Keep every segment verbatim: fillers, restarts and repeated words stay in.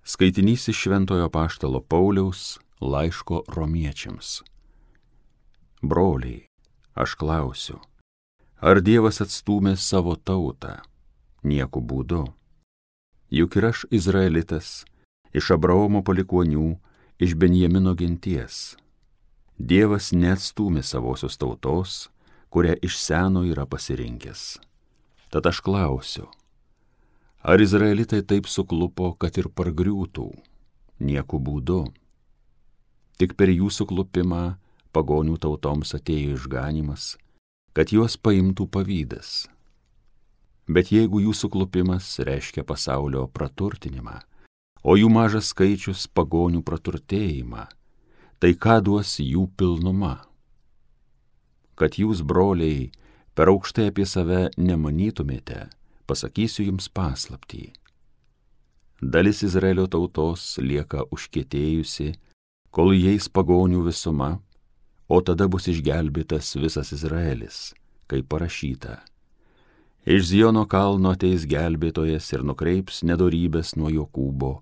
Skaitinys iš Šventojo Apaštalo Pauliaus laiško romiečiams. Broliai, aš klausiu, ar Dievas atstūmė savo tautą? Nieku būdu. Juk ir aš izraelitas, iš Abraomo palikuonių, iš Benjamino genties. Dievas neatstūmė savosios tautos, kurią iš seno yra pasirinkęs. Tad aš klausiu, ar izraelitai taip suklupo, kad ir pargriūtų? Nieku būdu. Tik per jų suklupimą pagonių tautoms atėjo išganymas, kad juos paimtų pavydas. Bet jeigu jų suklupimas reiškia pasaulio praturtinimą, o jų mažas skaičius pagonių praturtėjimą, tai ką duos jų pilnuma? Kad jūs, broliai, per aukštai apie save nemanytumėte, pasakysiu jums paslaptį. Dalis Izraelio tautos lieka užkietėjusi, kol įeis pagonių visuma, o tada bus išgelbėtas visas Izraelis, kaip parašyta. Iš Ziono kalno ateis gelbėtojas ir nukreips nedorybės nuo Jokūbo,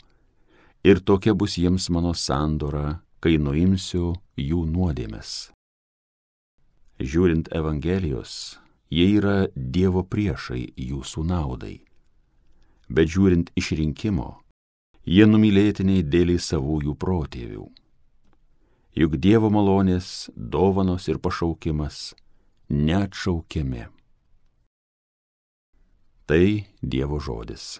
ir tokia bus jiems mano sandora, kai nuimsiu jų nuodėmes. Žiūrint Evangelijos, jie yra Dievo priešai jūsų naudai. Bet žiūrint išrinkimo, jie numylėtiniai dėlį savųjų protėvių. Juk Dievo malonės, dovanos ir pašaukimas neatšaukiami. Tai Dievo žodis.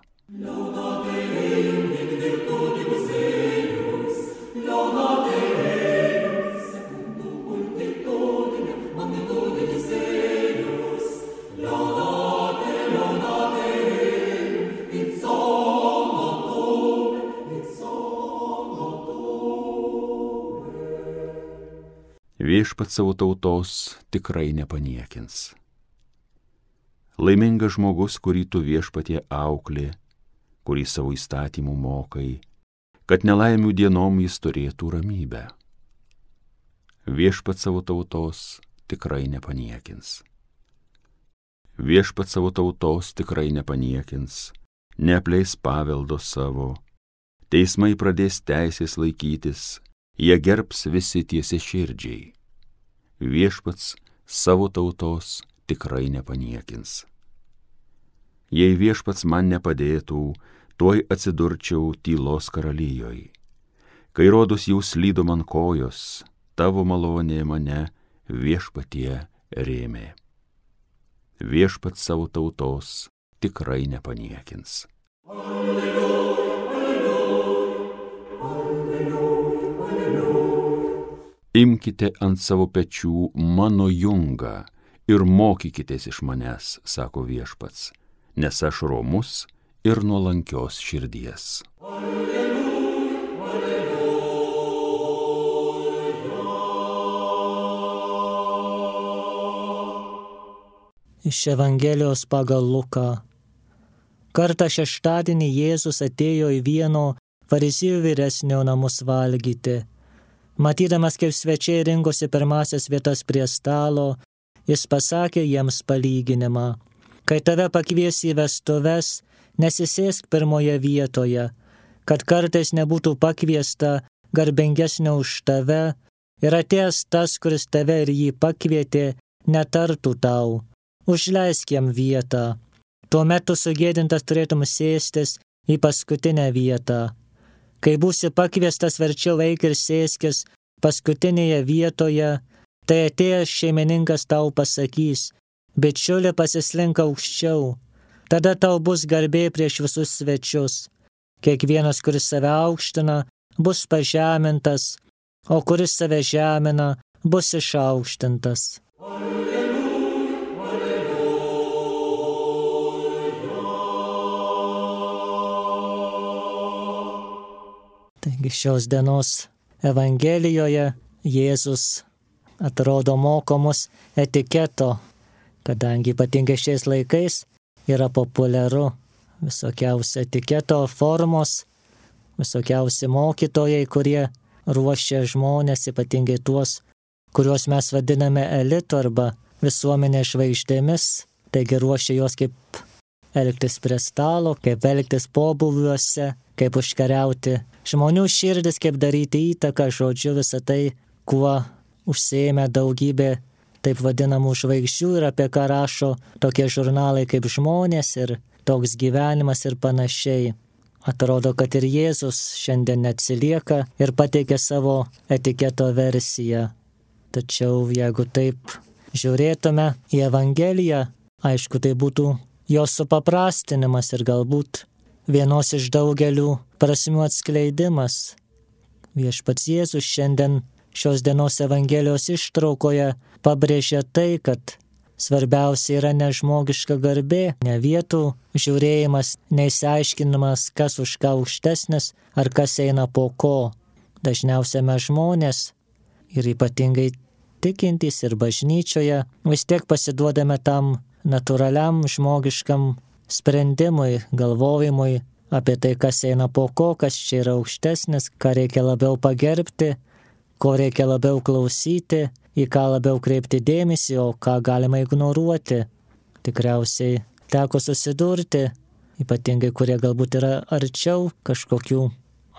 Viešpats savo tautos tikrai nepaniekins. Laimingas žmogus, kurį tu viešpatie auklė, kurį savo įstatymų mokai, kad nelaimių dienom jis turėtų ramybę. Viešpats savo tautos tikrai nepaniekins. Viešpats savo tautos tikrai nepaniekins, neapleis paveldo savo, teismai pradės teisės laikytis, jie gerbs visi tiesiaširdžiai. Viešpats savo tautos tikrai nepaniekins. Jei viešpats man nepadėtų, tuoj atsidurčiau tylos karalijoj. Kai rodos jau slydo man kojos, tavo malonė mane viešpatie rėmė. Viešpats savo tautos tikrai nepaniekins. Alleluja, alleluja, alleluja, alleluja. Imkite ant savo pečių mano jungą ir mokykitės iš manęs, sako viešpats, nes aš romus ir nuolankios širdies. Alleluja, alleluja. Iš Evangelijos pagal Luką. Kartą šeštadienį Jėzus atėjo į vieno fariziejų vyresnio namus valgyti. Matydamas, kaip svečiai rinkosi pirmasias vietas prie stalo, jis pasakė jiems palyginimą. Kai tave pakvies į vestuves, nesisėsk pirmoje vietoje, kad kartais nebūtų pakviesta garbingesnio už tave ir atėjęs tas, kuris tave ir jį pakvietė, netartų tau, užleisk jam vietą. Tuomet tu sugėdintas turėtum sėstis į paskutinę vietą. Kai būsi pakviestas, verčiau eik ir sėskis paskutinėje vietoje, tai atėjęs šeimininkas tau pasakys, bičiuli, pasislink aukščiau, tada tau bus garbė prieš visus svečius. Kiekvienas, kuris save aukština, bus pažemintas, o kuris save žemina, bus išaukštintas. Taigi šios dienos Evangelijoje Jėzus atrodo moko mus etiketo, kadangi ypatingai šiais laikais yra populiaru visokiausi etiketo formos, visokiausi mokytojai, kurie ruošia žmonės, ypatingai tuos, kuriuos mes vadiname elitu arba visuomenės žvaigždėmis, taigi ruošia juos kaip elgtis prie stalo, kaip elgtis pobūviuose, kaip užkariauti žmonių širdis, kaip daryti įtaką, žodžiu, visą tai, kuo užsiėmė daugybė taip vadinamų žvaigždžių ir apie ką rašo tokie žurnalai kaip Žmonės ir Toks gyvenimas ir panašiai. Atrodo, kad ir Jėzus šiandien neatsilieka ir pateikia savo etiketo versiją. Tačiau jeigu taip žiūrėtume į Evangeliją, aišku, tai būtų jos supaprastinimas ir galbūt vienos iš daugelių prasmių atskleidimas. Viešpats Jėzus šiandien šios dienos Evangelijos ištraukoje pabrėžia tai, kad svarbiausia yra ne žmogiška garbė, ne vietų žiūrėjimas, neįsiaiškinimas, kas už ką aukštesnis ar kas eina po ko. Dažniausiai mes žmonės ir ypatingai tikintys ir bažnyčioje vis tiek pasiduodame tam natūraliam žmogiškam sprendimui, galvojimui apie tai, kas eina po ko, kas čia yra aukštesnis, ką reikia labiau pagerbti, ko reikia labiau klausyti, į ką labiau kreipti dėmesį, o ką galima ignoruoti. Tikriausiai teko susidurti, ypatingai kurie galbūt yra arčiau kažkokių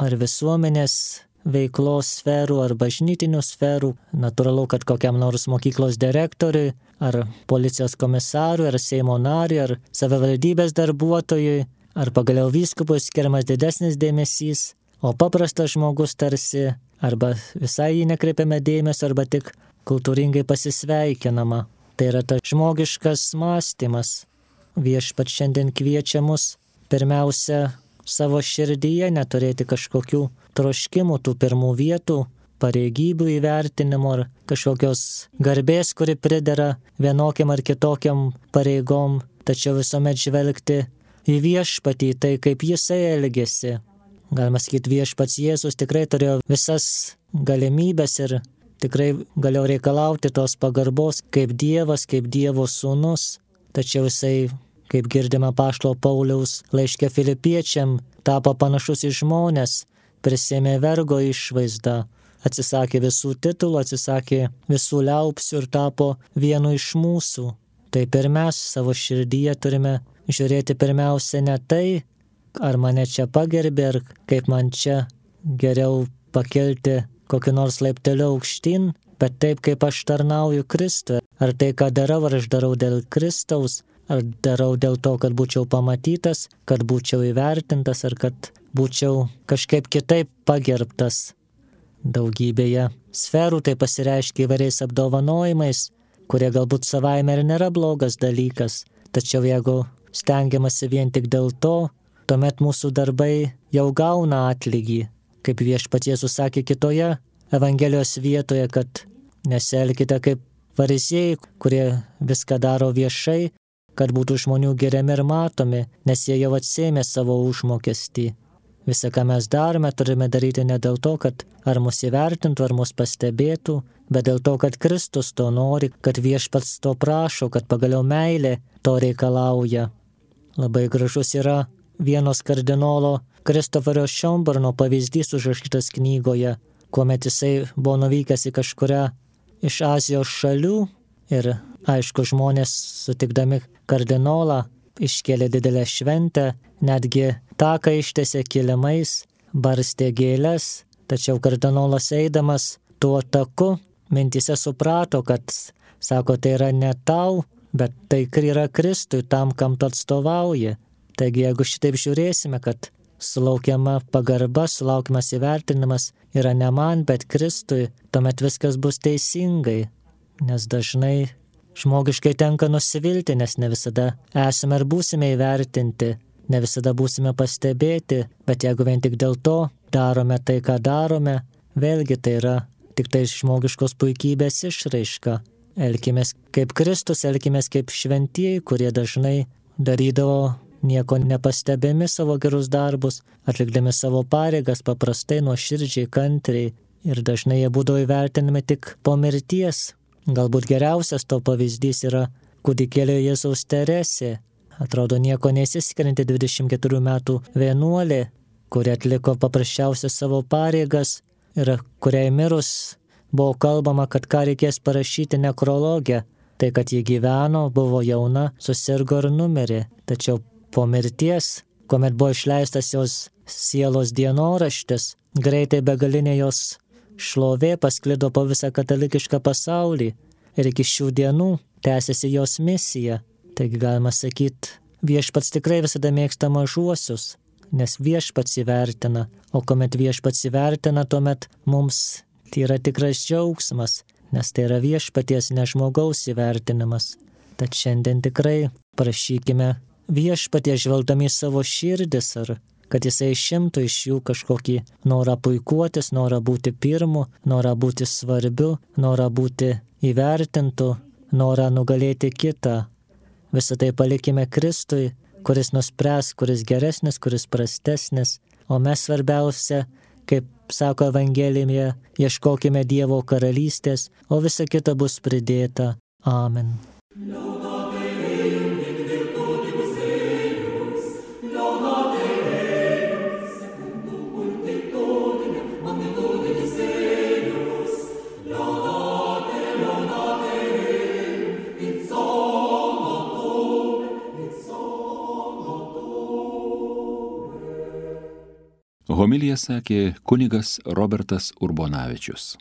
ar visuomenės veiklos sferų, ar bažnytinių sferų. Natūralu, kad kokiam nors mokyklos direktoriui, ar policijos komisarui, ar Seimo nariui, ar savivaldybės darbuotojui, ar pagaliau vyskupui skiriamas didesnis dėmesys, o paprastas žmogus tarsi arba visai jį nekreipiame dėmesio, arba tik kultūringai pasisveikinama. Tai yra tas žmogiškas mąstymas. Viešpats šiandien kviečia mus pirmiausia savo širdyje neturėti kažkokių troškimų, tų pirmų vietų, pareigybių įvertinimo ar kažkokios garbės, kuri pridera vienokiam ar kitokiam pareigom, tačiau visuomet žvelgti į viešpatį, tai kaip jisai elgėsi. Galima sakyti, viešpats Jėzus tikrai turėjo visas galimybės ir tikrai galėjo reikalauti tos pagarbos kaip Dievas, kaip Dievo sūnus. Tačiau jisai, kaip girdime apaštalo Pauliaus laiške Filipiečiam, tapo panašus į žmones, prisėmė vergo išvaizdą, atsisakė visų titulų, atsisakė visų liaupsių ir tapo vienu iš mūsų. Taip ir mes savo širdyje turime žiūrėti pirmiausia ne tai, ar mane čia pagerbė, ar kaip man čia geriau pakelti kokį nors laiptelį aukštyn, bet taip, kaip aš tarnauju Kristui. Ar tai, ką darau, ar aš darau dėl Kristaus, ar darau dėl to, kad būčiau pamatytas, kad būčiau įvertintas, ar kad būčiau kažkaip kitaip pagerbtas. Daugybėje sferų tai pasireiškia įvairiais apdovanojimais, kurie galbūt savaime ir nėra blogas dalykas. Tačiau jeigu stengiamasi vien tik dėl to, tuomet mūsų darbai jau gauna atlygį. Kaip viešpats Jėzus sakė kitoje Evangelijos vietoje, kad nesielkite kaip fariziejai, kurie viską daro viešai, kad būtų žmonių giriami ir matomi, nes jie jau atsėmė savo užmokestį. Visą, ką mes darome, turime daryti ne dėl to, kad ar mus įvertintų, ar mus pastebėtų, bet dėl to, kad Kristus to nori, kad viešpats to prašo, kad pagaliau meilė to reikalauja. Labai gražus yra vienos kardinolo Kristoferio Šionborno pavyzdys užrašytas knygoje, kuomet jisai buvo nuvykęs į kažkurią iš Azijos šalių ir, aišku, žmonės sutikdami kardinolą iškėlė didelę šventę, netgi taką ištiesė kilimais, barstė gėles, tačiau kardinolas eidamas tuo taku mintyse suprato, kad, sako, tai yra ne tau, bet tai yra Kristui, tam, kam tu atstovauji. Taigi, jeigu šitaip žiūrėsime, kad sulaukiama pagarba, sulaukiamas įvertinimas yra ne man, bet Kristui, tuomet viskas bus teisingai, nes dažnai žmogiškai tenka nusivilti, nes ne visada esame ir būsime įvertinti, ne visada būsime pastebėti, bet jeigu vien tik dėl to darome tai, ką darome, vėlgi tai yra tik tai žmogiškos puikybės išraiška. Elkimės kaip Kristus, elkimės kaip šventieji, kurie dažnai darydavo nieko nepastebėmi savo gerus darbus, atlikdami savo pareigas paprastai, nuoširdžiai, kantriai, ir dažnai jie būdavo įvertinami tik po mirties. Galbūt geriausias to pavyzdys yra kūdikėlio Jėzaus Teresė. Atrodo nieko neįsiskirianti dvidešimt keturių metų vienuolė, kuri atliko paprasčiausias savo pareigas ir kuriai mirus buvo kalbama, kad ką reikės parašyti nekrologę. Tai, kad ji gyveno, buvo jauna, susirgo ir numirė. Tačiau po mirties, kuomet buvo išleistas jos sielos dienoraštis, greitai begalinė jos šlovė pasklido po visą katalikišką pasaulį ir iki šių dienų tęsiasi jos misija. Taigi galima sakyti, viešpats tikrai visada mėgsta mažuosius, nes viešpats įvertina, o kuomet viešpats įvertina, tuomet mums tai yra tikras džiaugsmas, nes tai yra viešpaties, ne žmogaus įvertinimas. Tad šiandien tikrai prašykime viešpaties, žvelgdami į savo širdis, ar kad jisai išimtų iš jų kažkokį norą puikuotis, norą būti pirmu, norą būti svarbiu, norą būti įvertintu, norą nugalėti kitą. Visą tai palikime Kristui, kuris nuspręs, kuris geresnis, kuris prastesnis, o mes svarbiausia, kaip sako Evangelijoje, ieškokime Dievo karalystės, o visa kita bus pridėta. Amen. Homiliją sakė kunigas Robertas Urbonavičius.